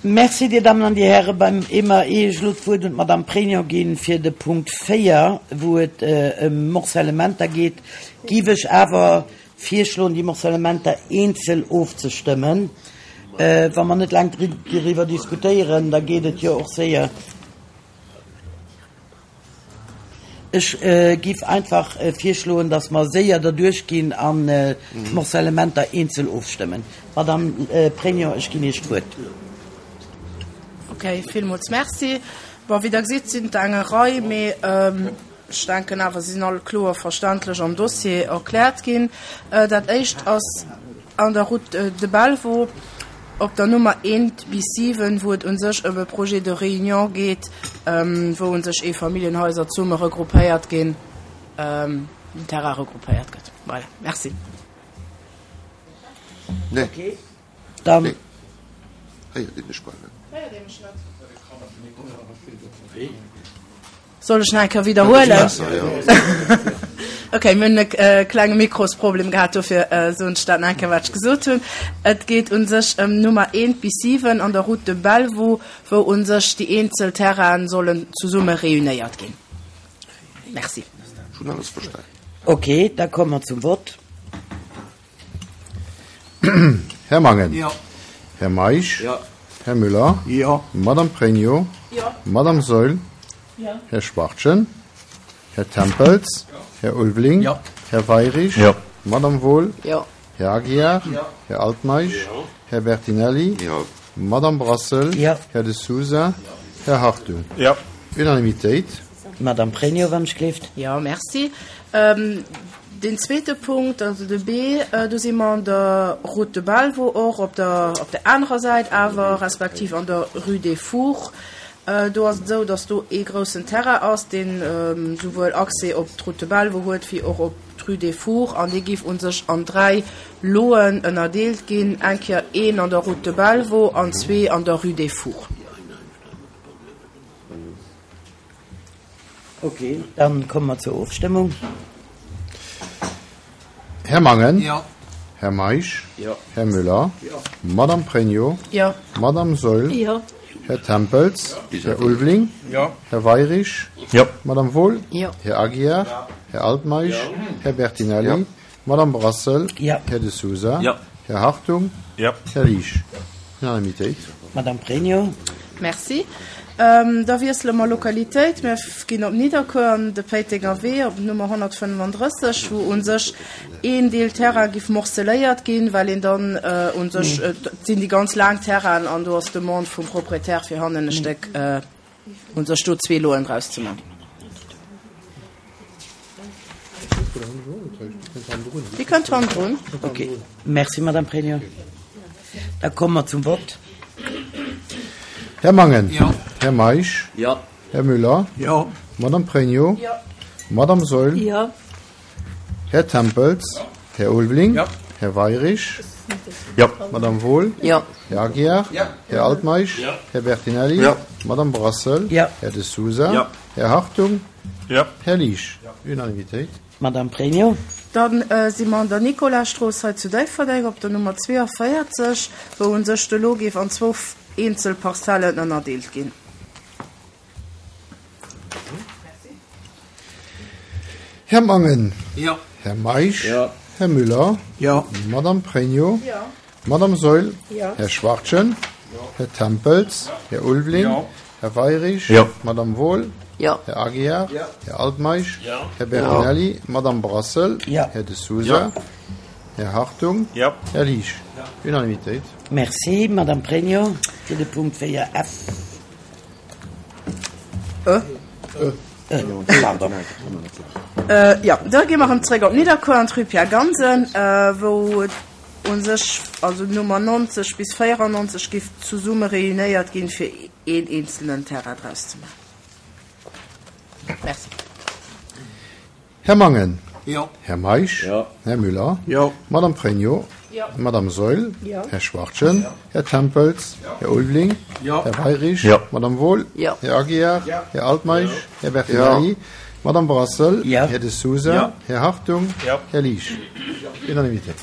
Merci, Dir Dammen an Dir Hären. Beim EMA, ier ech elo d'Wuert un d'Madame Pregno ginn fir de Punkt 4, wou et ëm Morcellementer geet, géif ech awer virschloen, déi Morcellementer eenzel ofzestëmmen. Wa mer net laang doriwwer diskutéieren, da geet et jo och séier. Ech giff einfach virschloen, dass mer séier derduerch ginn an d'Morcellementer eenzel ofstëmmen. Madame Pregno, ech ginn Iech d'Wuert. Ok, villmools Merci. Bon, wéi Der gesitt, sinn et der eng Rei, mee ech denken awer, se sinn all kloer verständlech am Dossier erkläert ginn. Dat éischt ass An der Route de Belvaux op der Nummer eent bis 7, wou et u sech ëm e Projet de réunion geet, wou u sech Eefamilljenhaiser zesumme regroupéiert ginn, den Terrain regroupéiert gëtt. Voilà, merci. Okay, dann. Héiert ee mech bal net. Héiert ee mech net? Soll ech nach eng Kéier widderhuelen? Ok, mir hunn e klenge Mikrosproblem gehat, dofir soen ech dat nach eng Kéier, wat ech gesot hunn. Et geet u sech ëm Nummer eent bis 7 an der Route de Bellevaux, wou u sech déi eenzel Terrainen sollen zesumme réunéiert ginn. Merci. Ech hunn alles verstan. Ok, da komme mer zum Vott. Här Mangen. Jo. Här Meisch. Jo. Här Müller. Jo. Madame Pregno. Jo. Madame Saeul. Jo. Här Schwachtgen. Här Tempels. Jo. Här Ulveling. Jo. Här Weirich. Jo. Madame Wohl. Jo. Här Aguiar. Jo. Här Altmeisch. Jo. Här Bertinelli. Jo. Madame Brassel. Jo. Här De Sousa. Här Hartung. Jo. Unanimitéit. Madame Pregno, wann ech gleeft. Jo, merci. Deen zweete Punkt, also de B, do si mer an der Route de Bellevaux och, op der, op der anerer Säit awer, respektiv an der Rue des Fours. Do ass et esou, datt do ee groussen Terrain ass, deen souwuel Accès op d'Route de Bellevaux huet wéi och op d'Rue des Fours, an dee géif u sech an 3 Loen ënnerdeelt ginn, eng Kéier een an der Route de Bellevaux an zwee an der Rue des Fours. Ok, dann komme mer zur Ofstëmmung. Här Mangen. Jo. Här Meisch. Jo. Här Müller. Jo. Madame Pregno. Jo. Madame Saeul. Jo. Här Tempels. Jo. Här Ulveling. Jo. Här Weirich. Jo. Madame Wohl. Jo. Här Aguiar. Jo. Här Altmeisch. Jo. Här Bertinelli. Jo. Madame Brassel. Jo. Här De Sousa. Jo. Här Hartung. Jo. Här Liesch. Unanimitéit. Madame Pregno. Merci. Da wiessele mer Lokalitéit. Mir ginn op Nidderkuer an de Péitenger Wee op d'Nummer 135, wou u sech een Deel Terrain giff morceléiert ginn, well een dann u sech, et sinn déi ganz laang Terrainen an do ass d'Demande vum Proprietär fir hannen e Stéck u sech do zwee Loen draus ze man. Déi kënnt hannendrun. Ok, merci Madame Pregno. Da komme mer zum Vott. Här Mangen. Jo. Här Meisch. Jo. Här Müller. Jo. Madame Pregno. Jo. Madame Saeul. Jo. Här Tempels. Här Ulveling. Jo. Här Weirich. Jo. Madame Wohl. Jo. Här Aguiar. Jo. Här Altmeisch. Jo. Här Bertinelli. Jo. Madame Brassel. Jo. Här De Sousa. Jo. Här Hartung. Jo. Här Liesch. Unanimitéit. Madame Pregno. Da si mer an der Nicolasstrooss hei zu Déifferdeng op der Nummer 42, wou u sech de Lot géif an zwou eenzel Parzellen ënnerdeelt ginn. Här Mangen. Jo. Här Meisch. Jo. Här Müller. Jo. Madame Pregno. Jo. Madame Saeul. Jo. Här Schwachtgen. Här Tempels. Här Ulveling. Jo. Här Weirich. Jo. Madame Wohl. Jo. Här Aguiar. Jo. Här Altmeisch. Jo. Här Bertinelli. Madame Brassel. Jo. Här De Sousa. Jo. Här Hartung. Jo. Här Liesch. Unanimitéit. Merci, Madame Pregno, fir de Punkt 4F. E. E, pardon. Jo, da gi mer erëm zréck op Nidderkuer an d'Rue Pierre Gansen, wou et u sech, also d'Nummer 90 bis 94 giff zesumme réunéiert ginn, fir een eenzelnen Terrain draus ze maachen. Merci. Här Mangen. Jo. Här Meisch. Jo. Här Müller. Jo. Madame Pregno. Jo. Madame Saeul. Jo. Här Schwachtgen. Här Tempels. Här Ulveling. Jo. Här Weirich. Jo. Madame Wohl. Jo. Här Aguiar. Jo. Här Altmeisch. Här Bertinelli. Madame Brassel. Jo. Här De Sousa. Jo. Här Hartung. Jo. Här Liesch. Unanimitéit.